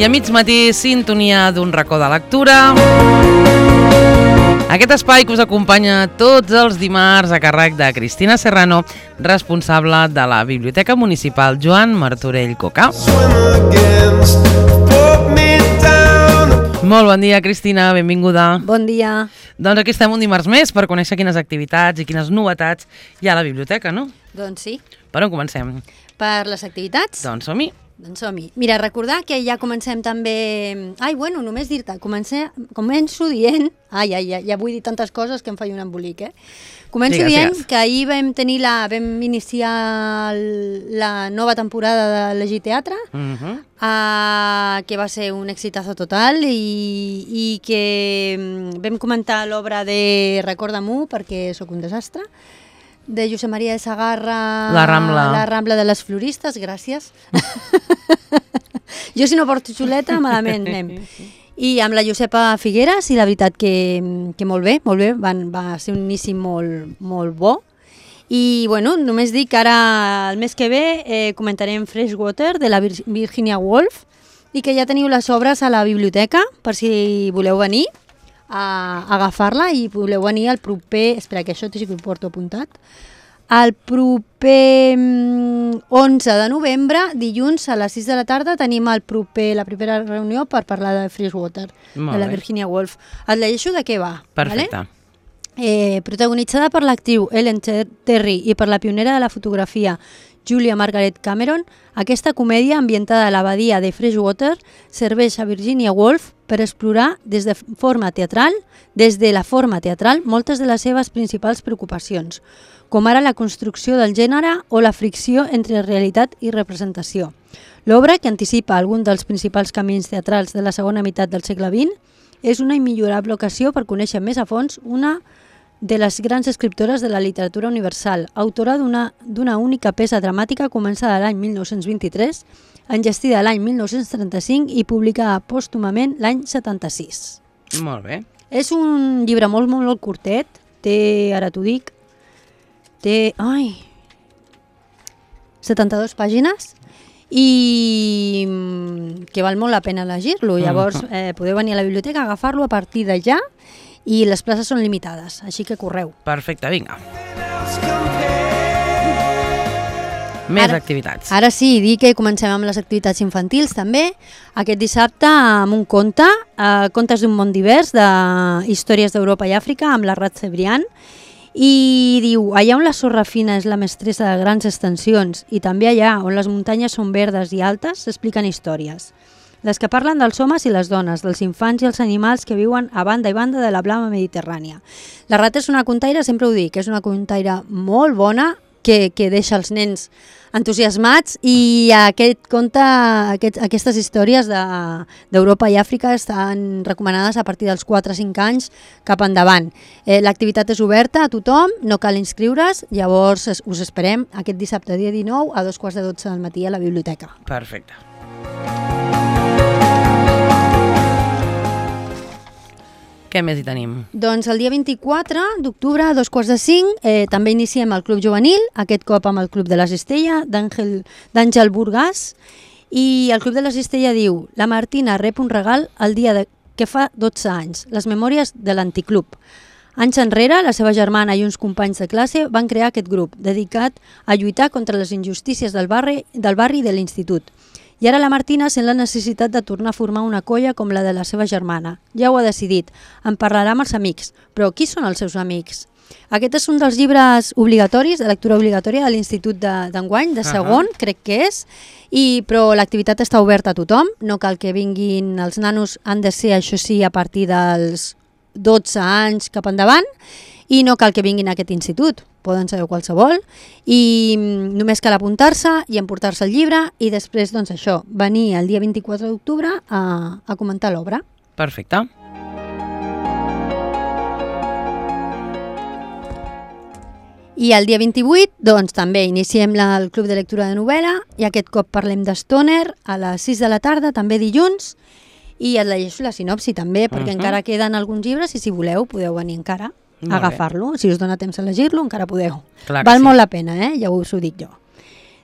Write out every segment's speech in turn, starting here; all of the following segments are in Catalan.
I a mig matí, sintonia d'un racó de lectura. Aquest espai que us acompanya tots els dimarts a càrrec de Cristina Serrano, responsable de la Biblioteca Municipal Joan Martorell Coca. Molt bon dia, Cristina, benvinguda. Bon dia. Doncs aquí estem un dimarts més per conèixer quines activitats i quines novetats hi ha a la biblioteca, no? Doncs sí. Per on comencem? Per les activitats? Doncs som-hi. Doncs som-hi. Mira, recordar que ja comencem també... Només dir-te, començo dient... Ja vull dir tantes coses que em faig un embolic, Començo dient que ahir vam iniciar la nova temporada de Llegir Teatre, que va ser un exitazo total i que vam comentar l'obra de Recorda-m'ho, perquè sóc un desastre, de Josep Maria de Sagarra, La Rambla de les Floristes, gràcies. Jo si no porto xuleta, malament anem. I amb la Josepa Figueres, i la veritat que molt bé, va ser un inici molt bo. I bueno, només dic que ara el mes que ve comentarem Freshwater de la Virginia Woolf i que ja teniu les obres a la biblioteca per si voleu venir a agafar-la i voleu venir al proper... Espera, que això sí que ho porto apuntat. El proper 11 de novembre, dilluns a les 6 de la tarda, tenim la primera reunió per parlar de Freshwater, de la Virginia Woolf. Et llegeixo de què va. Perfecte. Vale? Protagonitzada per l'actriu Ellen Terry i per la pionera de la fotografia Julia Margaret Cameron, aquesta comèdia ambientada a l'abadia de Freshwater serveix a Virginia Woolf per explorar des de la forma teatral moltes de les seves principals preocupacions, com ara la construcció del gènere o la fricció entre realitat i representació. L'obra, que anticipa algun dels principals camins teatrals de la segona meitat del segle XX, és una immillorable ocasió per conèixer més a fons una de les grans escriptores de la literatura universal, autora d'una única peça dramàtica començada l'any 1923, enllestida l'any 1935 i publicada pòstumament l'any 76. Molt bé. És un llibre molt curtet, ara t'ho dic, té 72 pàgines i que val molt la pena llegir-lo. Llavors podeu venir a la biblioteca, agafar-lo a partir de ja, i les places són limitades, així que correu. Perfecte, vinga. Més activitats. Ara sí, dir que comencem amb les activitats infantils també. Aquest dissabte amb un conte, Contes d'un món divers, de històries d'Europa i Àfrica, amb la Rat Cebrián. I diu, allà on la sorra fina és la mestressa de grans extensions i també allà on les muntanyes són verdes i altes s'expliquen històries. Les que parlen dels homes i les dones, dels infants i els animals que viuen a banda i banda de la blava Mediterrània. La Rat és una contaire, sempre ho dic, és una contaire molt bona que deixa els nens entusiasmats i aquest conte, aquestes històries d'Europa i Àfrica estan recomanades a partir dels 4-5 anys cap endavant. L'activitat és oberta a tothom, no cal inscriure's, llavors us esperem aquest dissabte dia 19 a 2:15 del matí a la biblioteca. Perfecte. Què més hi tenim? Doncs el dia 24 d'octubre a 4:45 també iniciem el Club Juvenil, aquest cop amb el Club de la Cistella d'Àngel Burgàs, i el Club de la Cistella diu: la Martina rep un regal el dia que fa 12 anys, les memòries de l'Anticlub. Anys enrere, la seva germana i uns companys de classe van crear aquest grup, dedicat a lluitar contra les injustícies del barri i de l'institut. I ara la Martina sent la necessitat de tornar a formar una colla com la de la seva germana. Ja ho ha decidit, en parlarà amb els amics. Però qui són els seus amics? Aquest és un dels llibres obligatoris, de lectura obligatòria de l'Institut d'enguany, de segon, crec que és, però l'activitat està oberta a tothom, no cal que vinguin els nanos, han de ser, això sí, a partir dels 12 anys cap endavant, i no cal que vinguin a aquest institut, poden ser qualsevol, i només cal apuntar-se i emportar-se el llibre i després, doncs això, venir el dia 24 d'octubre a comentar l'obra. Perfecte. I el dia 28, doncs, també iniciem el Club de Lectura de Novel·la i aquest cop parlem de Stoner a les 6 de la tarda, també dilluns, i et llegeixo la sinopsi també, perquè encara queden alguns llibres i si voleu podeu venir encara a agafar-lo. Si us dona temps a llegir-lo, encara podeu. Val molt la pena, ja us ho dic jo.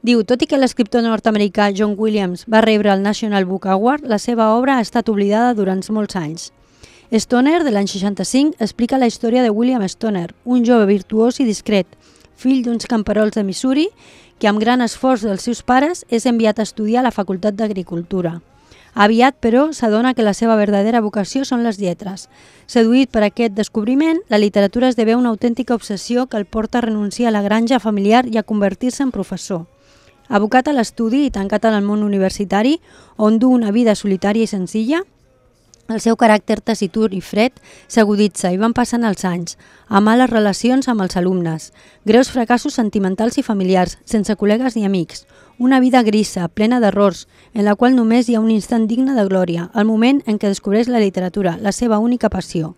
Diu, tot i que l'escriptor nord-americà John Williams va rebre el National Book Award, la seva obra ha estat oblidada durant molts anys. Stoner, de l'any 65, explica la història de William Stoner, un jove virtuós i discret, fill d'uns camperols de Missouri, que amb gran esforç dels seus pares és enviat a estudiar a la Facultat d'Agricultura. Aviat, però, s'adona que la seva verdadera vocació són les lletres. Seduït per aquest descobriment, la literatura esdevé una autèntica obsessió que el porta a renunciar a la granja familiar i a convertir-se en professor. Abocat a l'estudi i tancat en el món universitari, on du una vida solitària i senzilla, el seu caràcter taciturn i fred s'aguditza i van passant els anys, a males relacions amb els alumnes, greus fracassos sentimentals i familiars, sense col·legues ni amics, una vida grisa, plena d'errors, en la qual només hi ha un instant digne de glòria, el moment en què descobreix la literatura, la seva única passió.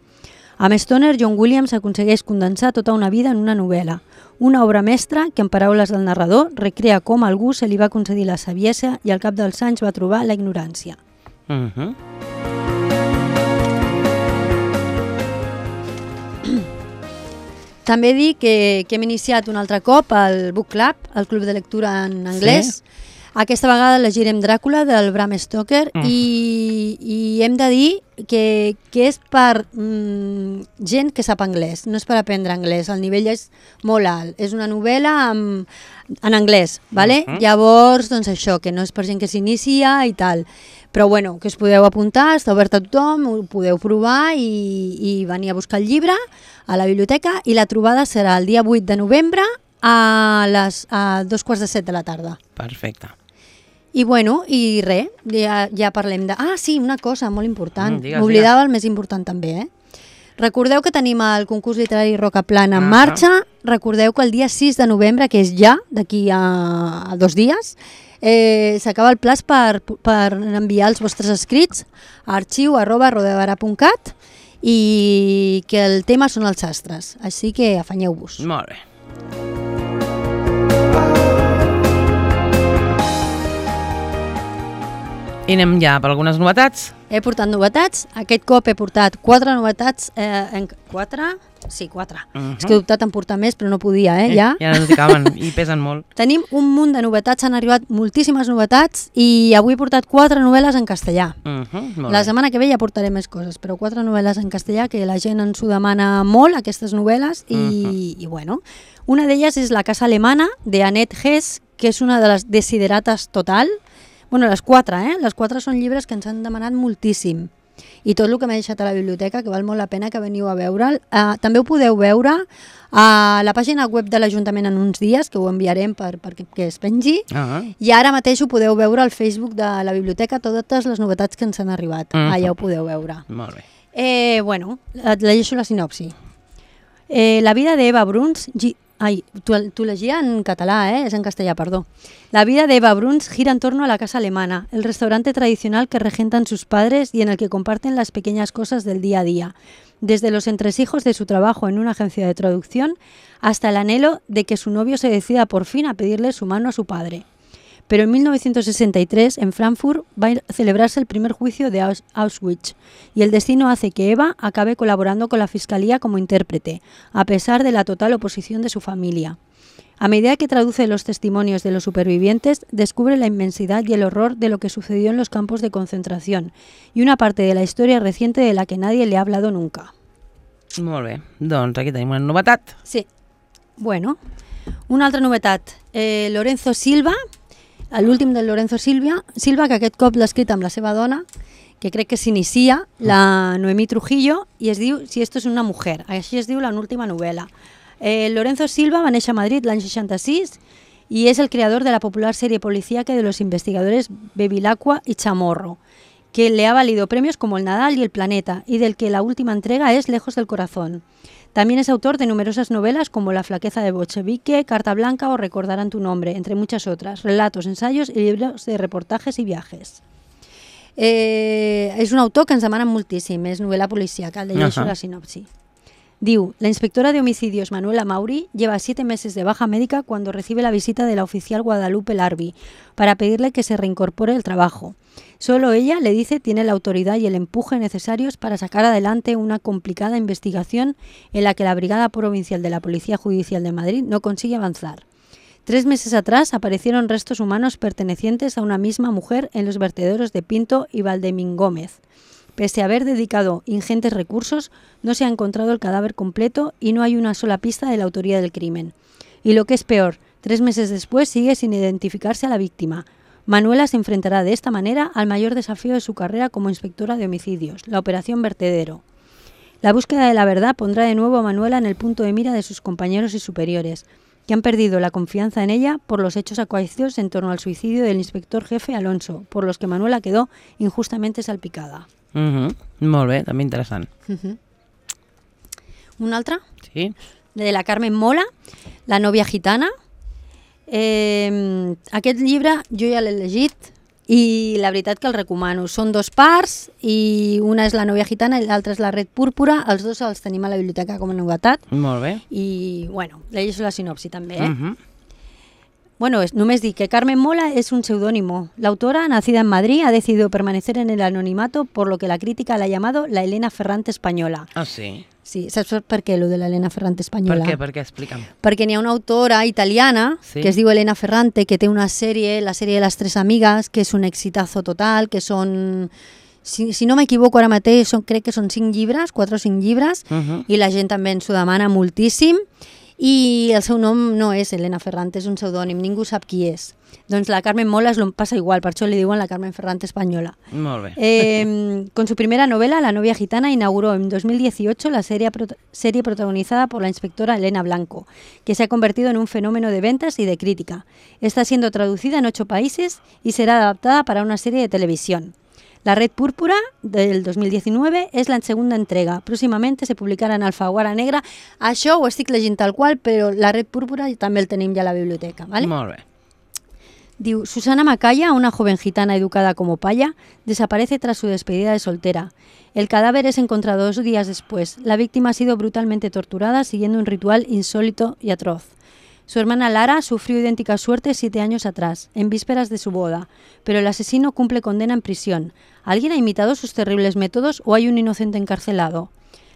Amb Stoner, John Williams aconsegueix condensar tota una vida en una novel·la, una obra mestra que, en paraules del narrador, recrea com a algú se li va concedir la saviesa i al cap dels anys va trobar la ignorància. També dic que hem iniciat un altre cop el Book Club, el club de lectura en anglès. Sí. Aquesta vegada llegirem Dràcula del Bram Stoker i hem de dir que és per gent que sap anglès, no és per aprendre anglès, el nivell és molt alt. És una novel·la en anglès, ¿vale? Llavors, doncs això, que no és per gent que s'inicia i tal. Però bueno, que us podeu apuntar, està obert a tothom, ho podeu provar i venir a buscar el llibre a la biblioteca i la trobada serà el dia 8 de novembre a 2:15 de la tarda. Perfecte. I bueno, i res, ja parlem de... Ah, sí, una cosa molt important. Digues, m'oblidava el més important també, Recordeu que tenim el concurs literari Rocaplana en marxa. Recordeu que el dia 6 de novembre, que és ja, d'aquí a 2 dies, s'acaba el plaç per enviar els vostres escrits a arxiu@rodevara.cat i que el tema són els sastres, així que afanyeu-vos. Molt bé. I anem ja per algunes novetats. He portat novetats, aquest cop he portat 4 novetats, 4? Sí, 4. És que he dubtat en portar més, però no podia, ja. Ja no t'hi caben i pesen molt. Tenim un munt de novetats, han arribat moltíssimes novetats i avui he portat 4 novel·les en castellà. La setmana que ve ja portaré més coses, però 4 novel·les en castellà que la gent ens ho demana molt, aquestes novel·les, i bueno, una d'elles és La casa alemana, de Annette Hess, que és una de les desiderates total. Bueno, les 4, Les 4 són llibres que ens han demanat moltíssim. I tot el que m'he deixat a la biblioteca, que val molt la pena que veniu a veure'l. També ho podeu veure a la pàgina web de l'Ajuntament en uns dies, que ho enviarem perquè es pengi. I ara mateix ho podeu veure al Facebook de la biblioteca, totes les novetats que ens han arribat. Allà ho podeu veure. Molt bé. Bueno, et llegeixo la sinopsi. La vida de Eva Bruns... Ay, tú legia en català, es en castellà, perdó. La vida de Eva Bruns gira en torno a la casa alemana, el restaurante tradicional que regentan sus padres y en el que comparten las pequeñas cosas del día a día, desde los entresijos de su trabajo en una agencia de traducción hasta el anhelo de que su novio se decida por fin a pedirle su mano a su padre. Pero en 1963, en Frankfurt, va a celebrarse el primer juicio de Auschwitz y el destino hace que Eva acabe colaborando con la fiscalía como intérprete, a pesar de la total oposición de su familia. A medida que traduce los testimonios de los supervivientes, descubre la inmensidad y el horror de lo que sucedió en los campos de concentración y una parte de la historia reciente de la que nadie le ha hablado nunca. Molt bé, doncs aquí tenim una novetat. Sí. Bueno, una altra novetat. Lorenzo Silva, l'últim del Lorenzo Silva, que aquest cop l'ha escrit amb la seva dona, que crec que s'inicia, la Noemí Trujillo, i es diu Si esto es una mujer. Així es diu l'última novel·la. Lorenzo Silva va néixer a Madrid l'any 66 y es el creador de la popular serie policíaca de los investigadores Bevilacqua y Chamorro, que le ha valido premios como El Nadal y El Planeta, y del que la última entrega es Lejos del Corazón. También es autor de numerosas novelas como La flaqueza de Bolchevique, Carta Blanca o Recordarán tu nombre, entre muchas otras, relatos, ensayos y libros de reportajes y viajes. És un autor que ens demanen moltíssim, és novel·la policíaca, llegeixo la sinopsi. Diu, la inspectora de homicidios Manuela Mauri lleva 7 meses de baja médica cuando recibe la visita de la oficial Guadalupe Larbi para pedirle que se reincorpore al trabajo. Solo ella, le dice, tiene la autoridad y el empuje necesarios para sacar adelante una complicada investigación en la que la Brigada Provincial de la Policía Judicial de Madrid no consigue avanzar. 3 meses atrás aparecieron restos humanos pertenecientes a una misma mujer en los vertederos de Pinto y Valdemingómez. Pese a haber dedicado ingentes recursos, no se ha encontrado el cadáver completo y no hay una sola pista de la autoría del crimen. Y lo que es peor, 3 meses después sigue sin identificarse a la víctima. Manuela se enfrentará de esta manera al mayor desafío de su carrera como inspectora de homicidios, la Operación Vertedero. La búsqueda de la verdad pondrá de nuevo a Manuela en el punto de mira de sus compañeros y superiores, que han perdido la confianza en ella por los hechos acaecidos en torno al suicidio del inspector jefe Alonso, por los que Manuela quedó injustamente salpicada. Molt bé, també interessant. Una altra? Sí. De la Carmen Mola, La novia gitana. Aquest llibre jo ja l'he llegit i la veritat que el recomano. Són 2 parts i una és La novia gitana i l'altra és La red púrpura. Els 2 els tenim a la biblioteca com a novetat. Molt bé. I, bueno, llegeixo la sinopsi també, Bueno, només dic que Carmen Mola es un seudónimo. La autora, nacida en Madrid, ha decidido permanecer en el anonimato, por lo que la crítica la ha llamado la Elena Ferrante española. Ah, sí? Sí, saps per què, lo de la Elena Ferrante espanyola? Per què? Explica'm. Perquè n'hi ha una autora italiana que es diu Elena Ferrante, que té una sèrie, la sèrie de les 3 amigues, que és un exitazo total, que són... Si no m'equivoco ara mateix, crec que són 5 llibres, 4 o 5 llibres, i la gent també ens ho demana moltíssim. I el seu nom no és Elena Ferrante, és un pseudònim, ningú sap qui és. Doncs la Carmen Mola pasa igual, per això li diuen la Carmen Ferrante española. Molt bé. Con su primera novela, La novia gitana, inauguró en 2018 la serie protagonizada por la inspectora Elena Blanco, que se ha convertido en un fenómeno de ventas y de crítica. Está siendo traducida en 8 países y será adaptada para una serie de televisión. La red púrpura del 2019 és la segunda entrega. Pròximament se publicarà en Alfaguara Negra. Això ho estic llegint tal qual, però la red púrpura també el tenim ja a la biblioteca. ¿Vale? Molt bé. Diu, Susana Macaya, una joven gitana educada como paya, desaparece tras su despedida de soltera. El cadáver es encontrado 2 días después. La víctima ha sido brutalmente torturada siguiendo un ritual insólito y atroz. Su hermana Lara sufrió idéntica suerte 7 años atrás, en vísperas de su boda, pero el asesino cumple condena en prisión. ¿Alguien ha imitado sus terribles métodos o hay un inocente encarcelado?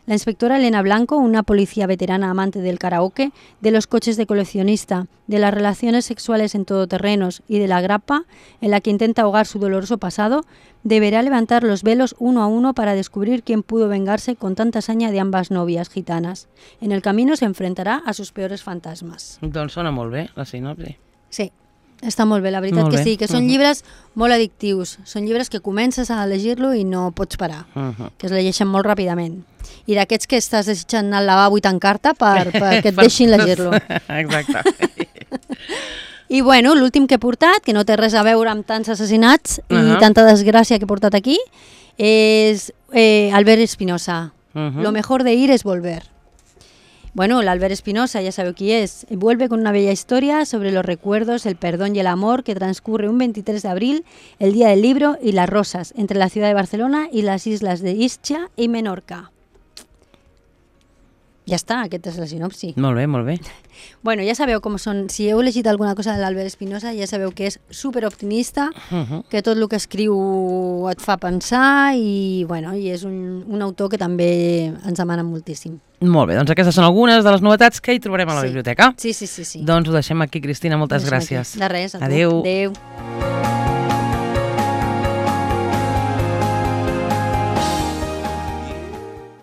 La inspectora Elena Blanco, una policía veterana amante del karaoke, de los coches de coleccionista, de las relaciones sexuales en todoterrenos y de la grappa, en la que intenta ahogar su doloroso pasado, deberá levantar los velos uno a uno para descubrir quién pudo vengarse con tanta hazaña de ambas novias gitanas. En el camino se enfrentará a sus peores fantasmas. Doncs sona molt bé, la sinopsi. Sí, està molt bé, la veritat que sí, que són llibres molt addictius, són llibres que comences a llegir-lo i no pots parar, que es llegeixen molt ràpidament. I d'aquests que estàs desitjant anar al lavabo i tancar-te perquè et deixin llegir-lo. Exacte. I bueno, l'últim que he portat, que no té res a veure amb tants assassinats i tanta desgràcia que he portat aquí, és Albert Espinosa. Lo mejor de ir es volver. Bueno, el Albert Espinosa, ya sabe quién es. Vuelve con una bella historia sobre los recuerdos, el perdón y el amor que transcurre un 23 de abril, el Día del Libro y las Rosas, entre la ciudad de Barcelona y las islas de Ischia y Menorca. Ja està, aquesta és la sinopsi. Molt bé, molt bé. Bueno, ja sabeu com són, si heu llegit alguna cosa de l'Albert Espinosa, ja sabeu que és superoptimista, que tot el que escriu et fa pensar i, bueno, i és un autor que també ens demana moltíssim. Molt bé, doncs aquestes són algunes de les novetats que hi trobarem a la biblioteca. Sí. Doncs ho deixem aquí, Cristina, moltes gràcies. De res, a tu. Adéu. Adéu.